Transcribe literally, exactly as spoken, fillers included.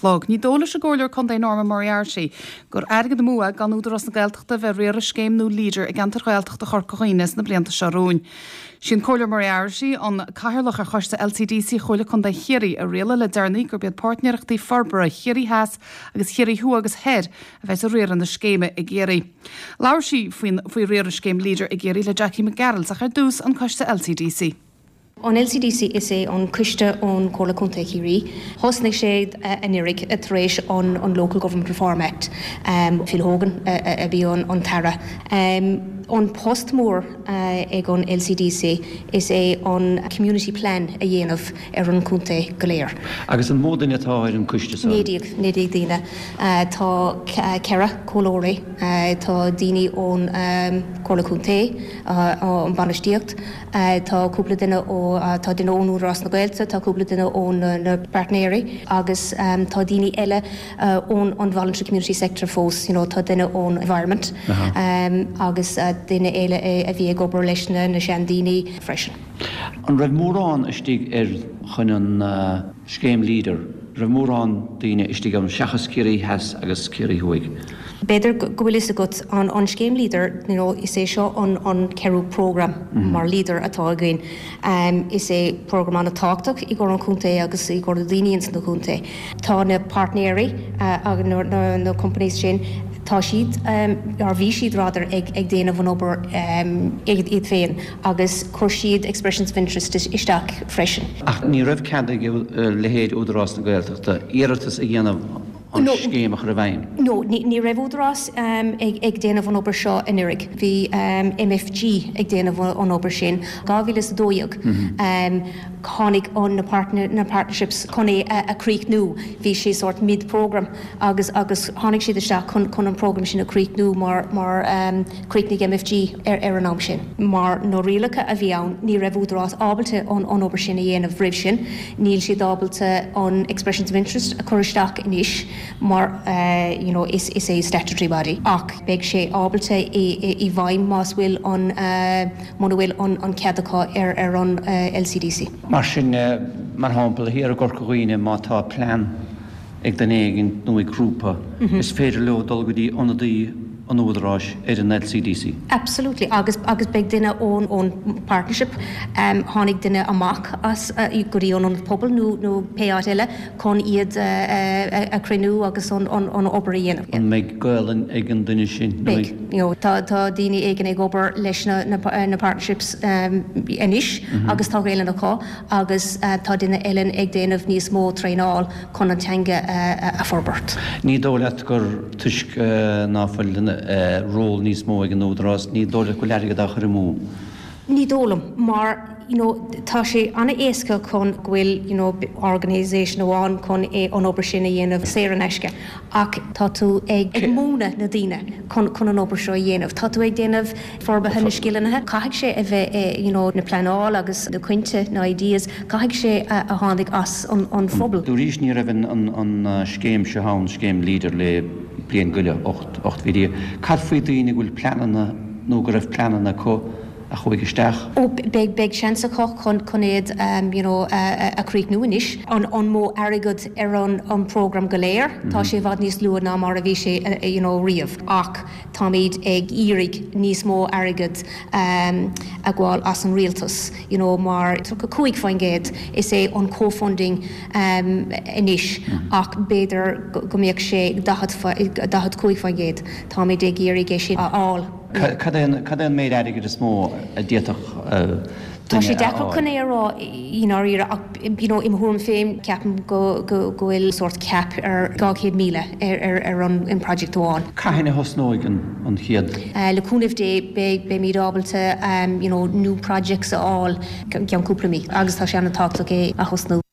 chlog. Ní dóigh leis an gComhairleoir Contae Norma Moriarty gur airgead amú é gan Údarás na Gaeltachta bheith ag riaradh scéim nua Leader i gceantar Ghaeltachta Chorca Dhuibhne sna blianta seo romhainn. Sí an Comhairleoir Moriarty an cathaoirleach ar choiste LCDC Chomhairle Contae Chiarraí a rialaigh le deireanaí gurb iad páirtnéireachtaí forbartha Chiarraí Theas agus Chiarraí Thuaidh agus Thoir a bheas ag riaradh na scéime i gCiarraí. Labhair sí faoi riaradh scéim Leader i gCiarraí le Jackie Mac Gearailt ach ar dtús an coiste LCDC. An LCDC is é an coiste ón Chomhairle Contae Chiarraí. Thosnaigh sé anuraidh tar éis an, an Local Government Reform Act. Um, Phil Hogan a bhí an, an tAire. Um, an post mór uh, ag an LCDC is é an Community Plan a dhéanamh ar an contae go léir. Agus an mó duine atá ar an coiste Naoi déag naoi déag daoine uh, tá ceithre comhairleoirí uh, tá daoine ón um, Chomhairle Contae uh, an bainistíocht, uh, tá cúpla duine ó uh, tá duine ón Údarás na Gaeltachta, tá cúpla duine ón uh, na partneri agus um, tá daoine eile uh, ón an voluntary community sector fós, you know, tá duine ón environment uh -huh. um, agus uh, duine eile a bhí ag obair leis na na seandaoine freisin. An raibh mórán istigh ar chun an uh, scéim Leader, raibh mórán daoine istigh an seachas Ciarraí Theas agus Ciarraí Thuaidh. B'fhéidir go bhfuil fhios agat an an scéim Leader you know, is é seo an an ceathrú program mm -hmm. mar Leader atá againn. Um, is é program an-tábhachtach i gcomhair an chontae agus i gcomhair daoine ins na contae. Tá na partneri uh, agus na, na, na companies sin tá siad um, ar bhí siad rather ag, ag déanamh an obair um, iad féin agus chuir siad expressions of interest isteach freisin. Ach ní raibh cead ag leithéid Údarás na Gaeltachta iarratas a dhéanamh an No. scéim a chur i bhfeidhm. No, ní, ní raibh údarás um, ag, ag déanamh an obair seo anuraidh. Bhí um, MFG ag déanamh an obair sin. Dhá mhíle is dó dhéag um, tháinig an na, partner, na partnerships chun é a, a chríochnú. Bhí sé sort mid-program agus agus tháinig siad isteach chun, chun an program sin a chríochnú mar, mar um, chríochnaigh MFG ar, ar an am sin. Mar na rialacha a bhí ann ní raibh údarás ábalta an, an obair sin a dhéanamh roimh sin, níl siad ábalta an expressions of interest a chur isteach anois mar uh, you know, is, is é statutory body. Ach beidh sé ábalta i, i, i bhfeidhm más bhfuil an uh, muna bhfuil an, an cead acu ar, ar an uh, LCDC. Mar sin eh, mar shampla thiar i gCorca Dhuibhne má tá plean ag duine éigin nó ag grúpa, is féidir leo dul go dtí ionadaí an údaráis ar an LCDC. Absolutely agus agus beidh duine ón ón partnership um, tháinig duine amach as uh, go dtí an an pobal nó nó pé áit eile chun iad uh, uh, a chruinniú agus an, an, an obair a dhéanamh. An mbeidh Gaelainn ag an duine sin nó Beidh, you know, tá tá daoine éigin ag obair leis na, na, na partnerships um, anois mm -hmm. agus tá Gaelainn acu agus uh, tá duine eile ag déanamh níos mó traenáil chun an teanga uh, a forbairt. Ní dóigh leat gur toisc uh, ná fuil uh, ról níos mó ag an údarás, ní dóigh leat go bhfuil airgead á chur amú. Ní dóigh liom mar you know, tá sé an-éasca chun go bhfuil you know, organisation amháin chun é an obair sin a dhéanamh saor in aisce. Ach tá tú ag, ag múineadh na daoine chun, chun an obair seo a dhéanamh. Tá tú ag déanamh forbartha na scileanna, caithfidh sé a bheith eh, you know, na pleanáil agus na cuinte na ideas, caithfidh sé a, a tháinig as an, an phobal. Dúraís ní raibh an, an, an uh, scéim seo an scéim Leader le bliain go leith ocht ocht mhí. Cad faoi daoine go bhfuil pleananna nó go raibh pleananna acu a chuaigh isteach. Ó beidh beidh seans acu chun chun iad um, you know, a, a chríochnú anois. An, an mó airgead ar an, an program go léir, mm -hmm. tá sé i bhfad níos lú ná mar a bhí sé uh, you know, riamh. Ach táimid ag iarraidh níos mó airgead um, a fháil as an rialtas, you know, mar cúig faoin gcéad is é an co-funding um, anois mm -hmm. ach b'fhéidir go go mbeadh sé daichead cúig faoin gcéad Táimid ag iarraidh é sin a fháil. Cad é an méid airgead is mó a d'fhéadfadh Tá sé deacair chun é a rá i ndáiríre ach you know, im thuairim féin ceapaim go go go bhfuil sort cap ar dhá chéad míle ar, ar, ar an in project amháin. Cathain a thosnóidh an, an chéad. Uh, le cúnamh Dé beidh beimid ábalta um, you know, new projects a fháil ceann cúpla mí agus tá sé an-tábhachtach é a thosnú.